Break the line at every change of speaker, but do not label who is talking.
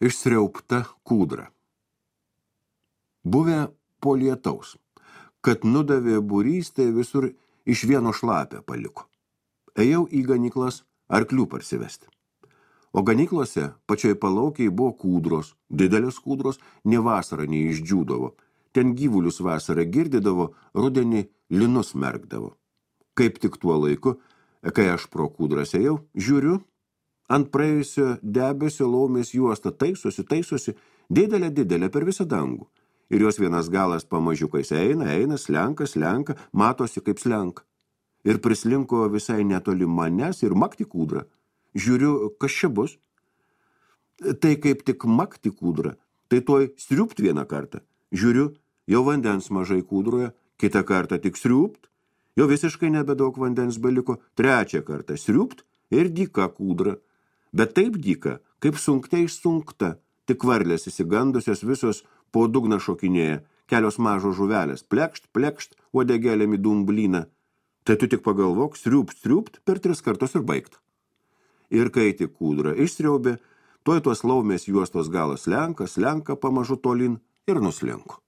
Išsriaupta kūdra. Buvę po lietaus, kad nudavė būrys, tai visur iš vieno šlapę paliko. Ėjau į ganyklas arklių parsivesti. O ganyklose pačioj palaukiai buvo kūdros, didelės kūdros, ne vasarą neišdžiūdavo. Ten gyvulius vasarą girdydavo, rudenį linus merkdavo. Kaip tik tuo laiku, kai aš pro kūdras ėjau, žiūriu, ant praėjusio debesio laumės juosta taisosi, didelė per visą dangų. Ir jos vienas galas pamažiukais eina, slenka, matosi kaip slenka. Ir prislinko visai netoli manęs ir makti kūdrą. Žiūriu, kas čia bus. Tai kaip tik makti kūdrą, tai toj striupt vieną kartą. Žiūriu, jau vandens mažai kūdroje, kitą kartą tik striupt, jau visiškai nebedaug vandens beliko, trečią kartą striupt ir dyka kūdra. Bet taip dyka, kaip sunkte išsunkta, tik varlės įsigandusios visos po dugną šokinėja, kelios mažos žuvelės, plekšt, uodegėlėm į dumblyną. Tai tu tik pagalvok, striupt, per 3 kartus ir baigta. Ir kai tik kūdra išstriaubė, tuoj tos laumės juostos galas slenka pamažu tolin ir nuslinko.